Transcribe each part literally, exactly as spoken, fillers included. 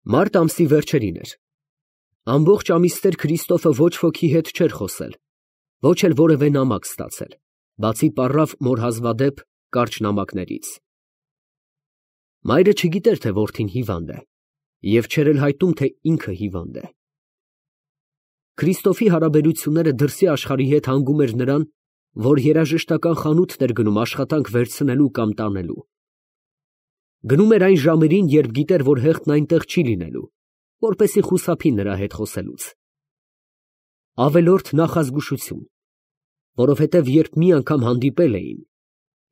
Մարտ ամսի վերջերին էր։ Ամբողջ ամիսներ Քրիստոֆը ոչ ոքի հետ չէր խոսել, ոչ էլ որևէ նամակ ստացել, բացի պառավ մոր հազվադեպ կարճ նամակներից։ Մայրը չգիտեր, թե որդին հիվանդ է, և չէր էլ հայտում, թե ինքը հիվանդ է։ Քրիստոֆի հարաբերությունները դրսի աշխարհի հետ հանգում էր նրան, որ երաժշտական խանութ էր գնում աշխատանք վերցնելու կամ տանելու։ Գնում էր այն ժամերին, երբ գիտեր, որ հեղթն այնտեղ չի լինելու, որպեսզի խուսափի նրա հետ խոսելուց։ Ավելորդ նախազգուշություն, որովհետև երբ մի անգամ հանդիպել էին,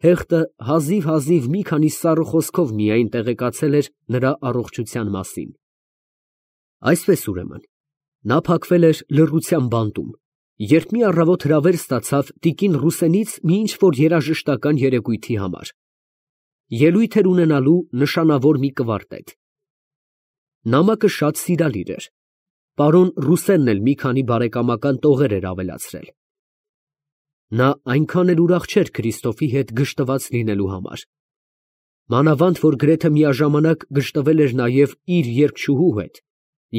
հեղթը հազիվ֊հազիվ մի քանի սառը խոսքով միայն տեղեկացել էր նրա առողջության մասին։ Այսպես ուրեմն, նա փակվել էր լռության բանտում, երբ մի առավոտ հրավեր ստացավ տիկին Ռուսենից մի ինչ֊որ երաժշտական երեկույթի համար։ Ելույթ էր ունենալու նշանավոր մի կվարտետ։ Նամակը շատ սիրալիր էր։ Պարոն Ռուսենն էլ մի քանի բարեկամական տողեր էր ավելացրել։ Նա այնքան էլ ուրախ չէր Քրիստոֆի հետ գժտված լինելու համար։ Մանավանդ, որ գրեթե միաժամանակ գժտվել էր նաև իր երգչուհու հետ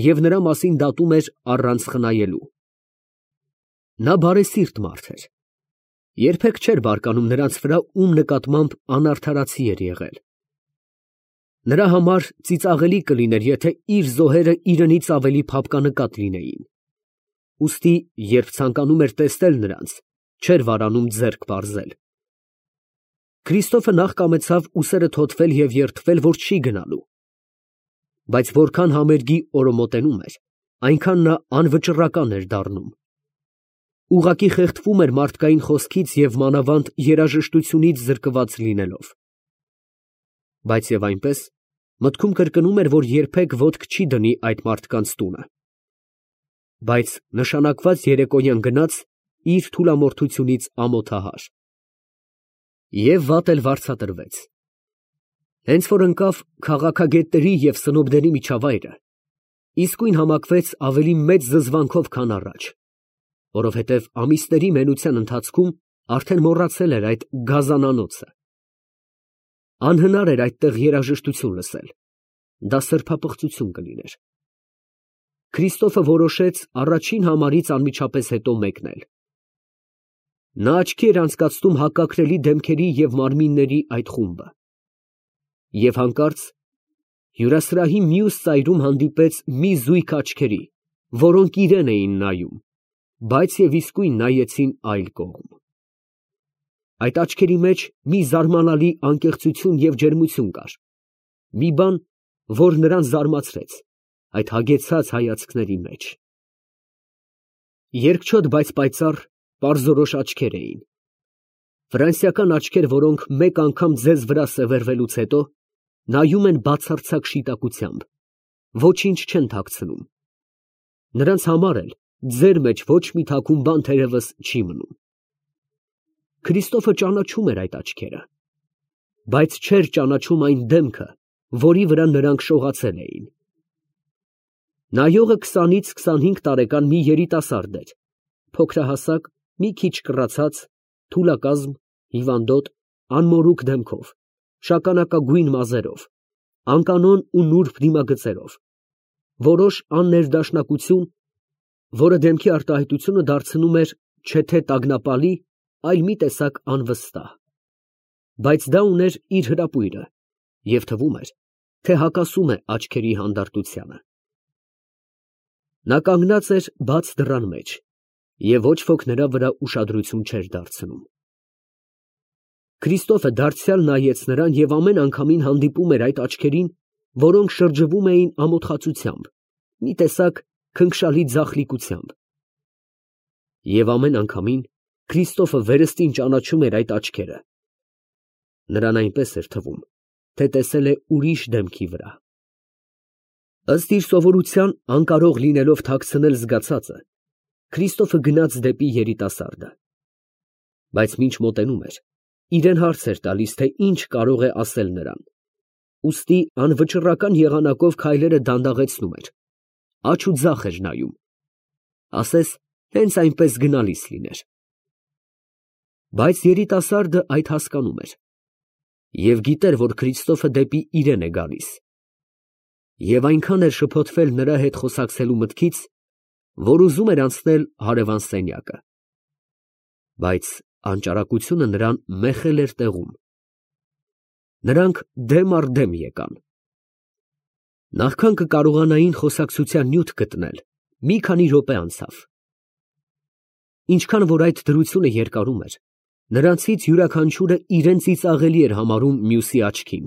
և նրա մասին դատում էր առանց խնայելու։ Նա բարեսիրտ մարդ էր։ Երբեք չէր բարկանում նրանց վրա, ում նկատմամբ անարդարացի էր եղել։ Նրա համար ծիծաղելի կլիներ, եթե իր զոհերը իրենից ավելի փափկանկատ լինեին։ Ուստի, երբ ցանկանում էր տեսնել նրանց, չէր վարանում ձեռք պարզել։ Քրիստոֆը նախ կամեցավ ուսերը թոթվել և երդվել, որ չի գնալու։ Բայց որքան համերգի օրը մոտենում էր, այնքան նա անվճռական էր դառնում։ Ուղղակի խեղդվում էր մարդկային խոսքից և մանավանդ երաժշտությունից զրկված լինելով։ Բայց և այնպես, մտքում կրկնում էր, որ երբեք ոտք չի դնի այդ մարդկանց տունը։ Բայց նշանակված երեկոյան գնաց իր թուլամորթությունից ամոթահար։ Եվ վատ էլ վարձատրվեց։ Հենց որ ընկավ քաղաքագետների և սնոբների միջավայրը, իսկույն համակվեց ավելի մեծ զզվանքով, քան առաջ, որովհետև ամիսների մենության ընթացքում արդեն մոռացել էր այդ գազանանոցը։ Անհնար էր այդտեղ երաժշտություն լսել, դա սրբապղծություն կլիներ։ Քրիստոֆը որոշեց առաջին համարից անմիջապես հետո մեկնել։ Նա աչքի էր անցկացնում հակակրելի դեմքերի և մարմինների այդ խումբը։ Եվ հանկարծ հյուրասրահի մյուս ծայրում հանդիպեց մի զույգ աչքերի, որոնք իրան էին նայում, բայց և իսկույն նայեցին այլ կողմ։ Այդ աչքերի մեջ մի զարմանալի անկեղծություն և ջերմություն կար, մի բան, որ նրան զարմացրեց այդ հագեցած հայացքների մեջ։ Երկչոտ, բայց պայծառ, պարզորոշ աչքեր էին։ Ֆրանսիական աչքեր, որոնք մեկ անգամ ձեզ վրա սևեռվելուց հետո նայում են բացարձակ շիտակությամբ, ոչինչ չեն թաքցնում։ Նրանց համար էլ ձեր մեջ ոչ մի թաքուն բան թերևս չի մնում։ Քրիստոֆը ճանաչում էր այդ աչքերը, բայց չէր ճանաչում այն դեմքը, որի վրա նրանք շողացել էին։ Նայողը քսանից քսանհինգ տարեկան մի երիտասարդ էր, փոքրահասակ, մի քիչ կռացած, թուլակազմ, հիվանդոտ, անմորուք դեմքով, շագանակագույն մազերով, անկանոն ու նուրբ դիմագծերով, որոշ աններդաշնակություն, որը դեմքի արտահայտությունը դարձնում էր չէ թե տագնապալի, այլ մի տեսակ անվստահ։ Բայց դա ուներ իր հրապույրը և թվում էր, թե հակասում է աչքերի հանդարտությանը։ Նա կանգնած էր բաց դռան մեջ, և ոչ ոք նրա վրա ուշադրություն չէր դարձնում։ Քրիստոֆը դարձյալ նայեց նրան և ամեն անգամին հանդիպում էր այդ աչքերին, որոնք շրջվում էին ամոթխածությամբ, մի տեսակ քնքշալի ձախլիկությամբ։ Եվ ամեն անգամին Քրիստոֆը վերստին ճանաչում էր այդ աչքերը։ Նրան այնպես էր թվում, թե տեսել է ուրիշ դեմքի վրա։ Ըստ իր սովորության, անկարող լինելով թաքցնել զգացածը, Քրիստոֆը գնաց դեպի երիտասարդը։ Բայց մինչ մոտենում էր, իրեն հարց էր տալիս, թե ինչ կարող է ասել նրան, ուստի անվճռական եղանակով քայլերը դանդաղեցնում էր, աջ ու ձախ էր նայում, ասես հենց այնպես գնալիս լիներ։ Բայց երիտասարդը այդ հասկանում էր և գիտեր, որ Քրիստոֆը դեպի իրեն է գալիս։ Եվ այնքան էր շփոթվել նրա հետ խոսակցելու մտքից, որ ուզում էր անցնել հարևան սենյակը։ Բայց անճարակությունը նրան մեխել էր տեղում։ Նրանք դեմ առ դեմ եկան։ Նախքան կկարողանային խոսակցության նյութ գտնել, մի քանի րոպե անցավ։ Ինչքան որ այդ դրությունը երկարում էր, նրանցից յուրաքանչյուրը իրեն ծիծաղելի էր համարում մյուսի աչքին։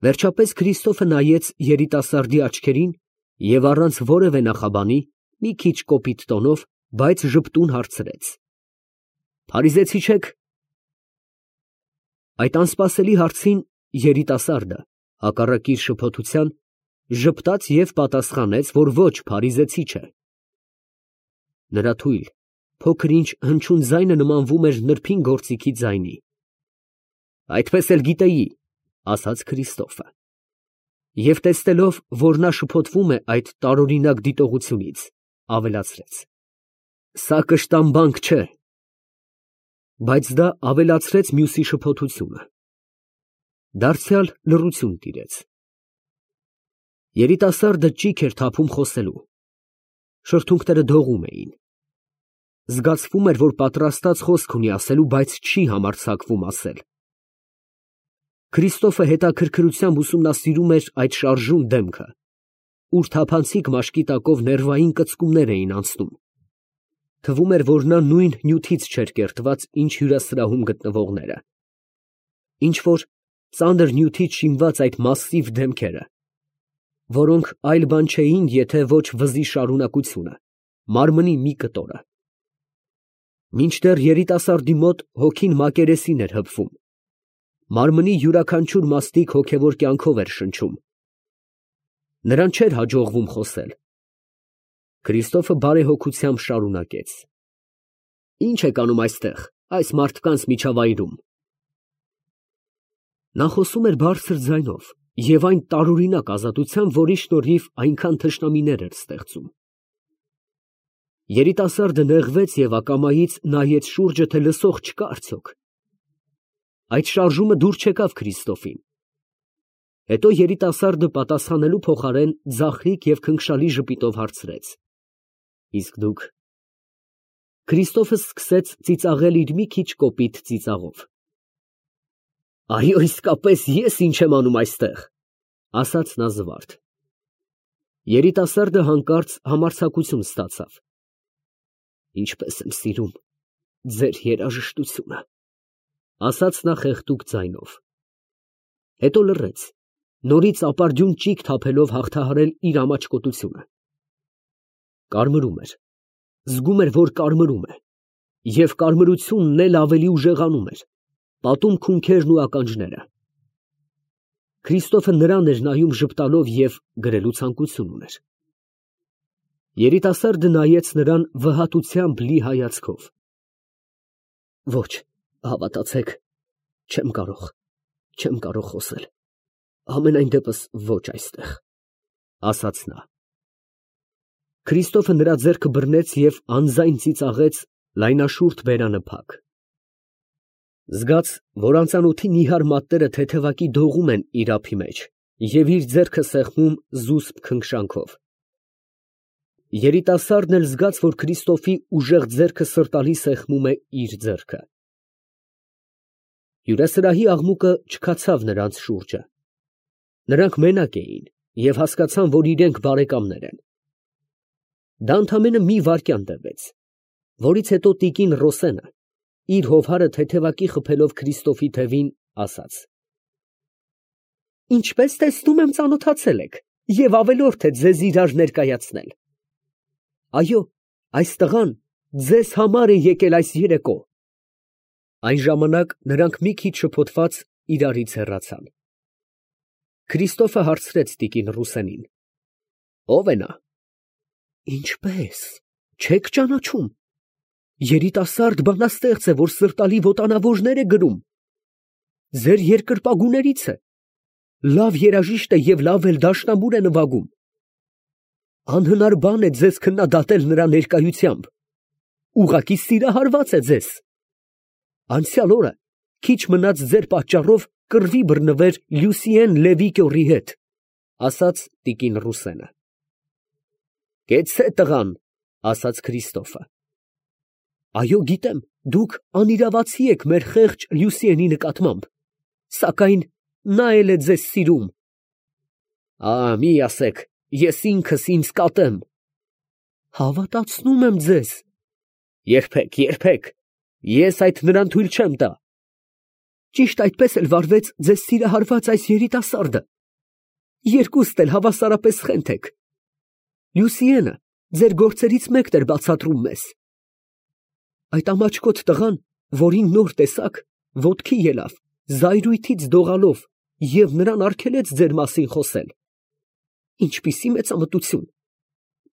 Վերջապես Քրիստոֆը նայեց երիտասարդի աչքերին և առանց որևէ նախաբանի, մի քիչ կոպիտ տոնով, բայց ժպտուն հարցրեց. «Փարիզեցի չե՞ք»։ Այդ անսպասելի հարցին երիտասարդը, հակառակ իր շփոթության, ժպտաց և պատասխանեց, որ ոչ փարիզեցի չէ։ Նրա թույլ, փոքր-ինչ հնչյուն ձայնը նմանվում էր նրբին գործիքի ձայնի։ «Այդպես էլ գիտեի», ասաց Քրիստոֆը։ Եվ տեսնելով, որ նա շփոթվում է այդ տարօրինակ դիտողությունից, ավելացրեց. «Սա կշտամբանք չէ»։ Բայց դա ավելացրեց մյուսի շփոթությունը։ Դարձյալ լռություն տիրեց։ Երիտասարդը ճիգ էր թափում խոսելու։ Շրթունքները դողում էին։ Զգացվում էր, որ պատրաստած խոսք ունի ասելու, բայց չի համարձակվում ասել։ Քրիստոֆը հետաքրքրությամբ ուսումնասիրում էր այդ շարժուն դեմքը, ուր թափանցիկ մաշկի տակով ներվային կծկումներ էին անցնում։ Թվում էր, որ նա նույն նյութից չէր կերտված, ինչ հյուրասրահում գտնվողները։ Ինչ որ ծանր նյութից շինված այդ մասսիվ դեմքերը, որոնք այլ բան չէին, եթե ոչ վզի շարունակությունը, մարմնի մի կտորը։ Մինչդեռ երիտասարդի մոտ հոգին մակերեսին էր հպվում, մարմնի յուրաքանչյուր մաստիկ հոգևոր կյանքով էր շնչում։ Նրան չէր հաջողվում խոսել։ Քրիստոֆը բարեհոգությամբ շարունակեց. «Ի՞նչ եք անում այստեղ, այս մարդկանց միջավայրում»։ Նա խոսում էր բարձր ձայնով և այն տարօրինակ ազատությամբ, որի շնորհիվ այնքան թշնամիներ էր ստեղծում։ Երիտասարդը նեղվեց և ակամայից նայեց շուրջը, թե լսող չկա արդյոք։ Այդ շարժումը դուր չեկավ Քրիստոֆին։ Հետո երիտասարդը պատասխանելու փոխարեն ձախլիկ և քնքշալի ժպիտով հարցրեց. «Իսկ դուք»։ Քրիստոֆը սկսեց ծիծաղել իր մի քիչ կոպիտ ծիծաղով։ «Այո, իսկապես ես ինչ եմ անում այստեղ», ասաց նա զվարթ։ Երիտասարդը հանկարծ համարձակություն ստացավ։ «Ինչպես եմ սիրում ձեր երաժշտությունը», ասաց նա խեղդուկ ձայնով։ Հետո լռեց, նորից ապարդյուն ճիգ թափելով հաղթահարել իր ամաչկոտությունը։ Կարմրում էր, զգում էր, որ կարմրում է, և կարմրությունն էլ ավելի ուժեղանում էր, պատում քունքերն ու ականջները։ Քրիստոֆը նրան էր նայում ժպտալով և գրելու ցանկություն ուներ։ Երիտասարդը նայեց նրան վհատությամբ լի հայացքով։ «Ոչ, հավատացեք, չեմ կարող, չեմ կարող խոսել, համենայն դեպս ոչ այստեղ», ասաց նա։ Քրիստոֆը նրա ձեռքը բռնեց և անձայն ծիծաղեց լայնաշուրթ բերանը փակ։ Զգաց, որ անծանոթի նիհար մատները թեթևակի դողում են իր ափի մեջ և իր ձեռքը սեղմում զուսպ քնքշանքով։ Երիտասարդն էլ զգաց, որ Քրիստոֆի ուժեղ ձեռքը սրտալի սեղմում է իր ձեռքը։ Հյուրասրահի աղմուկը չքացավ նրանց շուրջը։ Նրանք մենակ էին և հասկացան, որ իրենք բարեկամներ են։ Դա ընդամենը մի վայրկյան տևեց, որից հետո տիկին Ռոսենը, իր հովհարը թեթևակի խփելով Քրիստոֆի թևին, ասաց. «Ինչպես տեսնում եմ, ծանոթացել եք և ավելորդ է ձեզ իրար ներկայացնել։ Այո, այս տղան ձեզ համար է եկել այս երեկո»։ Այն ժամանակ նրանք մի քիչ շփոթված իրարից հեռացան։ Քրիստոֆը հարցրեց տիկին Ռուսենին. «Ո՞վ է նա»։ «Ինչպես, չեք ճանաչում։ Երիտասարդ բանաստեղծ է, որ սրտալի ոտանավորներ է գրում։ Ձեր երկրպագուներից է, լավ երաժիշտ է և լավ էլ դաշնամուր է նվագում։ Անհնար բան է ձեզ քննադատել նրա ներկայությամբ, ուղղակի սիրահարված է ձեզ։ Անցյալ օրը քիչ մնաց ձեր պատճառով կռվի բռնվեր Լյուսիեն Լևի կյորի հետ։ ասաց տիկին Ռուսենը։ Կեցցե տղան, ասաց Քրիստոֆը։ Այո, գիտեմ, դուք անիրավացի եք մեր խեղճ Լյուսիենի նկատմամբ, սակայն նա էլ է ձեզ սիրում։ Ա, մի ասեք, ես ինքս ինձ կատեմ։ Հավատացնում եմ ձեզ։ Երբեք, երբեք, ես այդ նրան թույլ չեմ տա։ Ճիշտ այդպես էլ վարվեց ձեզ սիրահարված այս երիտասարդը։ Երկուստ էլ հավասարապես խենթ եք։ Լյուսիենը ձեր գործերից մեկն էր բացատրում մեզ։ Այդ ամաչկոտ տղան, որին նոր տեսաք, ոտքի ելավ, զայրույթից դողալով, և նրան արգելեց ձեր մասին խոսել։ Ինչպիսի մեծամտություն։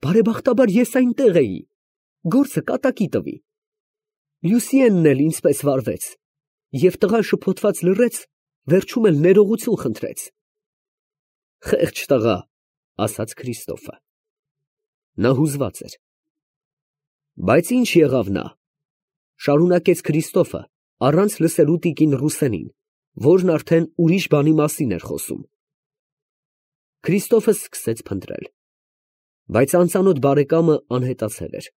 Բարեբախտաբար ես այնտեղ էի, գործը կատակի տվի։ Լյուսիենն էլ ինձպես վարվեց, և տղան շփոթված լռեց, վերջում էլ ներողություն խնդրեց։ Խեղճ տղա, ասաց Քրիստոֆը։ Նա հուզված էր։ Բայց ինչ եղավ նա, շարունակեց Քրիստոֆը, առանց լսելու տիկին Ռուսենին, որն արդեն ուրիշ բանի մասին էր խոսում։ Քրիստոֆը սկսեց փնտրել, բայց անծանոթ բարեկամը անհետացել էր։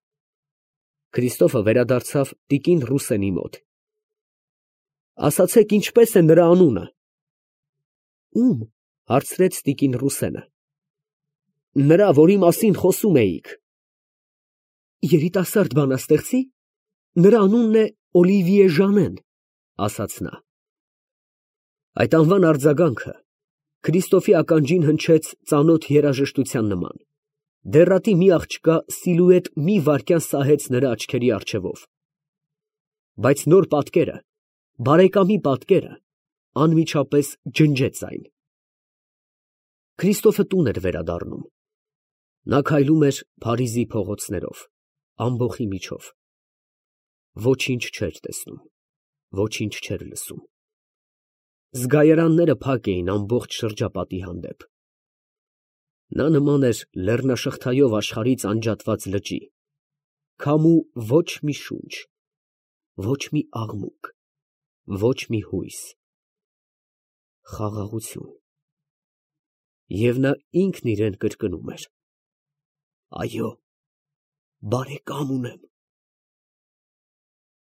Քրիստոֆը վերադարձավ տիկին Ռուսենի մոտ։ Ասացեք, ինչպես է նրա անունը։ Ում, հարցրեց տիկին Ռուսենը։ Նրա, որի մասին խոսում էիք։ Երիտասարդ բանաստեղծի։ Նրա անունն է Օլիվիե Ժանեն, ասաց նա։ Այդ անվան արձագանքը Քրիստոֆի ականջին հնչեց ծանոթ երաժշտության նման։ Դեռատի մի աղջկա սիլուետ մի վայրկյան սահեց նրա աչքերի առջևով։ Բայց նոր պատկերը, բարեկամի պատկերը, անմիջապես ջնջեց այն։ Քրիստոֆը տուն էր վերադառնում։ Նա քայլում էր Փարիզի փողոցներով, ամբոխի միջով։ Ոչինչ չէր տեսնում, ոչինչ չէր լսում։ Զգայարանները փակ էին ամբողջ շրջապատի հանդեպ։ Նա նման էր լեռնաշղթայով աշխարհից անջատված լճի, քամու ոչ մի շունչ, ոչ մի աղմուկ, ոչ մի հույս։ Խաղաղություն։ Եվ նա ինքն իրան կրկնում էր. Այո, բարեկամ ունեմ։